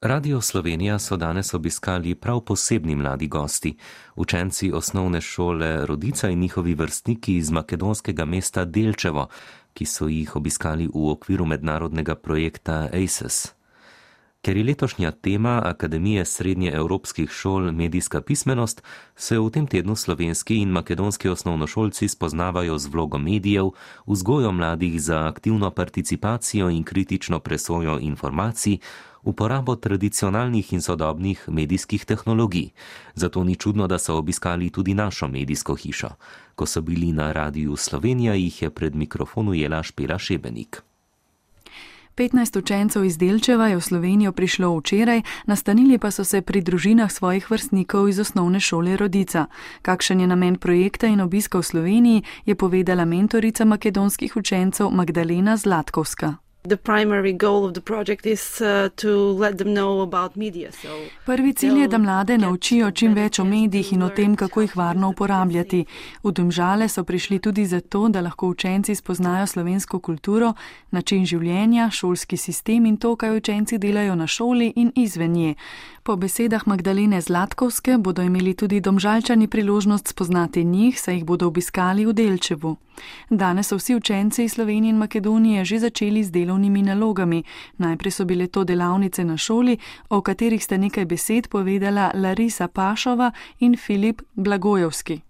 Radio Slovenija so danes obiskali prav posebni mladi gosti, učenci osnovne šole Rodica in njihovi vrstniki iz makedonskega mesta Delčevo, ki so jih obiskali v okviru mednarodnega projekta ACES. Ker je letošnja tema Akademije srednjeevropskih šol medijska pismenost, se v tem tednu slovenski in makedonski osnovnošolci spoznavajo z vlogo medijev, vzgojo mladih za aktivno participacijo in kritično presojo informacij, uporabo tradicionalnih in sodobnih medijskih tehnologij. Zato ni čudno, da so obiskali tudi našo medijsko hišo. Ko so bili na Radiu Slovenija, jih je pred mikrofon ujela Špela Šebenik. 15 učencev iz Delčeva je v Slovenijo prišlo včeraj, nastanili pa so se pri družinah svojih vrstnikov iz osnovne šole Rodica. Kakšen je namen projekta in obiska v Sloveniji, je povedala mentorica makedonskih učencev Magdalena Zlatkovska. Prvi cilj je, da mlade naučijo čim več o medijih in o tem, kako jih varno uporabljati. V Domžale so prišli tudi zato, da lahko učenci spoznajo slovensko kulturo, način življenja, šolski sistem in to, kaj učenci delajo na šoli in izven nje. Po besedah Magdalene Zlatkovske bodo imeli tudi Domžalčani priložnost spoznati njih, saj jih bodo obiskali v Delčevu. Danes so vsi učenci iz Slovenije in Makedonije že začeli z delovnimi nalogami. Najprej so bile to delavnice na šoli, o katerih sta nekaj besed povedala Larisa Pašova in Filip Blagojevski.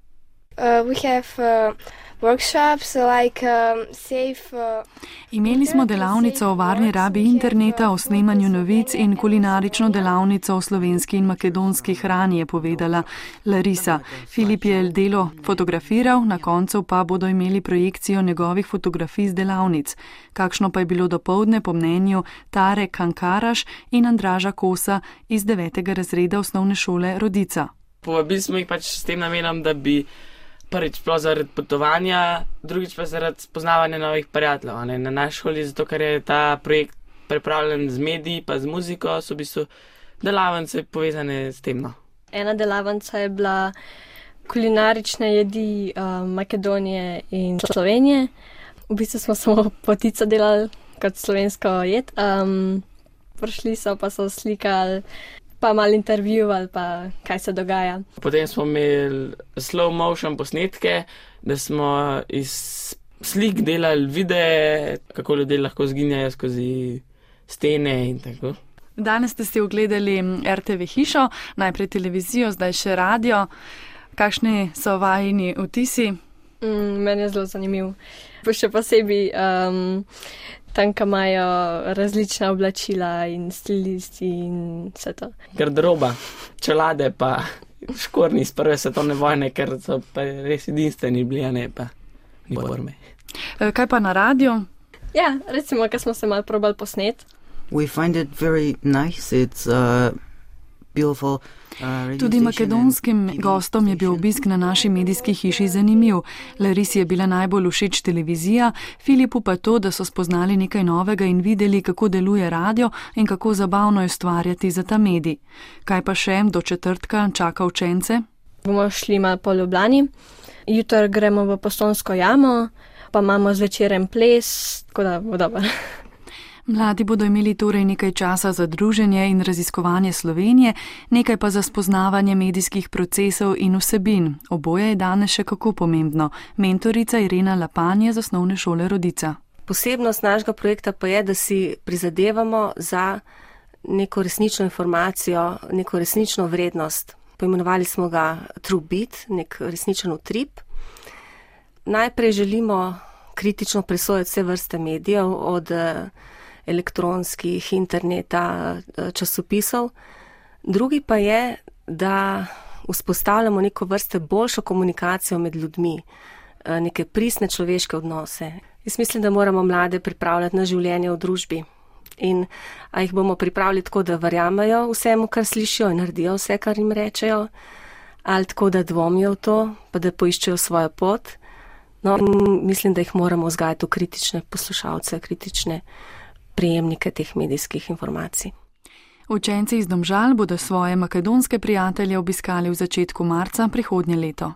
Imeli smo delavnico o varni rabi interneta, o snemanju novic in kulinarično delavnico o slovenski in makedonski hrani, je povedala Larisa. Filip je delo fotografiral, na koncu pa bodo imeli projekcijo njegovih fotografij z delavnic. Kakšno pa je bilo dopoldne po mnenju Tare Kankaraš in Andraža Kosa iz 9. razreda osnovne šole Rodica. Povabili smo jih s tem namenom, da bi prvič sploh zaradi potovanja, drugič pa zaradi spoznavanja novih prijateljev. Na naši šoli, zato ker je ta projekt pripravljen z mediji pa z muziko, so v bistvu delavnice povezane s tem. Ena delavnica je bila kulinarične jedi Makedonije in Slovenije. V bistvu smo samo potico delali kot slovensko jed. Prišli so pa so slikali, pa malo intervjuvali, pa kaj se dogaja. Potem smo imeli slow motion posnetke, da smo iz slik delali videe, kako ljudje lahko zginjajo skozi stene in tako. Danes ste si ogledali RTV hišo, najprej televizijo, zdaj še radio. Kakšni so vajini vtisi? Meni je zelo zanimiv. Še posebej tam, ko imajo različna oblačila in stilisti in vse to. Garderoba, čelade pa škornji iz prve svetovne vojne, ker so pa res edinstveni bili, pa ni forme. Kaj pa na radio? Ja, recimo, ko smo se malo probali posnet. We find it very nice, it's beautiful. Tudi makedonskim gostom je bil obisk na naši medijski hiši zanimiv. Larisi je bila najbolj všeč televizija, Filipu pa to, da so spoznali nekaj novega in videli, kako deluje radio in kako zabavno je ustvarjati za ta medij. Kaj pa še do četrtka čaka učence? Bomo šli malo po Ljubljani, jutri gremo v Postojnsko jamo, pa imamo zvečeren ples, tako da bo dobro. Mladi bodo imeli torej nekaj časa za druženje in raziskovanje Slovenije, nekaj pa za spoznavanje medijskih procesov in vsebin. Oboje je danes še kako pomembno. Mentorica Irena Lapanje z osnovne šole Rodica. Posebnost našega projekta pa je, da si prizadevamo za neko resnično informacijo, neko resnično vrednost. Poimenovali smo ga True Beat, nek resničen utrip. Najprej želimo kritično presojati vse vrste medijev, od elektronskih, interneta, časopisov. Drugi pa je, da vzpostavljamo neko vrste boljšo komunikacijo med ljudmi, neke pristne človeške odnose. Jaz mislim, da moramo mlade pripravljati na življenje v družbi. In a jih bomo pripravili tako, da verjamejo vsemu, kar slišijo in naredijo vse, kar jim rečejo, ali tako, da dvomijo v to, pa da poiščejo svojo pot. No, mislim, da jih moramo vzgajati v kritične poslušalce, kritične prejemnike teh medijskih informacij. Učenci iz Domžal bodo svoje makedonske prijatelje obiskali v začetku marca prihodnje leto.